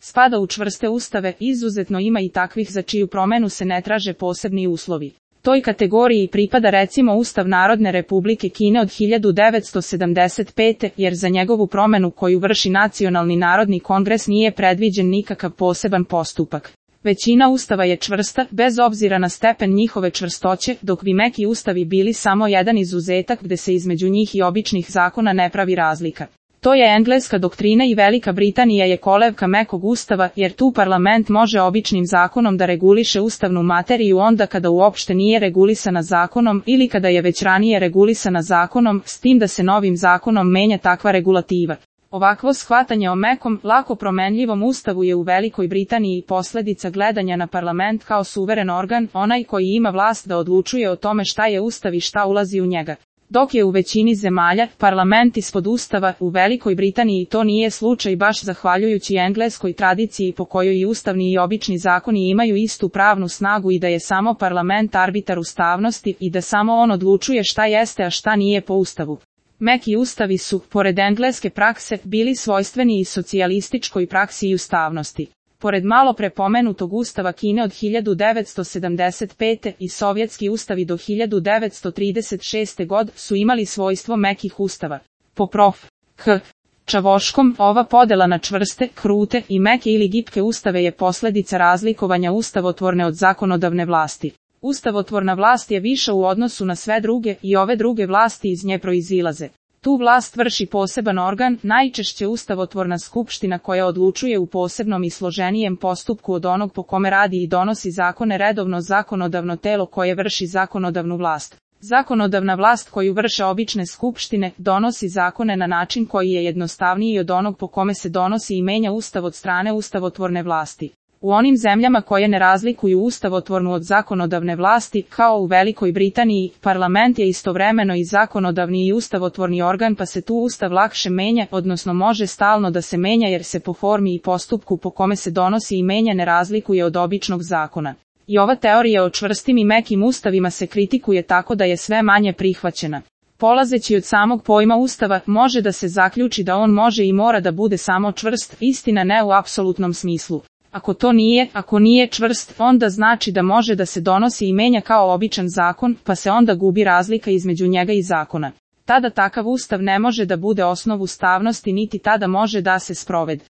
Spada u čvrste ustave, izuzetno ima i takvih za čiju promenu se ne traže posebni uslovi. Toj kategoriji pripada recimo Ustav Narodne Republike Kine od 1975. jer za njegovu promenu koju vrši Nacionalni narodni kongres nije predviđen nikakav poseban postupak. Većina ustava je čvrsta, bez obzira na stepen njihove čvrstoće, dok bi meki ustavi bili samo jedan izuzetak gde se između njih i običnih zakona ne pravi razlika. To je engleska doktrina i Velika Britanija je kolevka mekog ustava, jer tu parlament može običnim zakonom da reguliše ustavnu materiju onda kada uopšte nije regulisana zakonom ili kada je već ranije regulisana zakonom, s tim da se novim zakonom menja takva regulativa. Ovakvo shvatanje o mekom, lako promenljivom ustavu je u Velikoj Britaniji posledica gledanja na parlament kao suveren organ, onaj koji ima vlast da odlučuje o tome šta je ustav i šta ulazi u njega. Dok je u većini zemalja parlament ispod ustava, u Velikoj Britaniji to nije slučaj baš zahvaljujući engleskoj tradiciji po kojoj i ustavni i obični zakoni imaju istu pravnu snagu i da je samo parlament arbitar ustavnosti i da samo on odlučuje šta jeste a šta nije po ustavu. Meki ustavi su, pored engleske prakse, bili svojstveni i socijalističkoj praksi i ustavnosti. Pored malo prepomenutog ustava Kine od 1975. i sovjetski ustavi do 1936. god su imali svojstvo mekih ustava. Po prof. H. Čavoškom, ova podela na čvrste, krute i meke ili gipke ustave je posljedica razlikovanja ustavotvorne od zakonodavne vlasti. Ustavotvorna vlast je viša u odnosu na sve druge i ove druge vlasti iz nje proizilaze. Tu vlast vrši poseban organ, najčešće ustavotvorna skupština koja odlučuje u posebnom i složenijem postupku od onog po kome radi i donosi zakone redovno zakonodavno telo koje vrši zakonodavnu vlast. Zakonodavna vlast koju vrše obične skupštine donosi zakone na način koji je jednostavniji od onog po kome se donosi i menja ustav od strane ustavotvorne vlasti. U onim zemljama koje ne razlikuju ustavotvornu od zakonodavne vlasti, kao u Velikoj Britaniji, parlament je istovremeno i zakonodavni i ustavotvorni organ pa se tu ustav lakše menja, odnosno može stalno da se menja jer se po formi i postupku po kome se donosi i menja ne razlikuje od običnog zakona. I ova teorija o čvrstim i mekim ustavima se kritikuje tako da je sve manje prihvaćena. Polazeći od samog pojma ustava, može da se zaključi da on može i mora da bude samo čvrst, istina ne u apsolutnom smislu. Ako nije čvrst, onda znači da može da se donosi i menja kao običan zakon, pa se onda gubi razlika između njega i zakona. Tada takav ustav ne može da bude osnov ustavnosti niti tada može da se sprovede.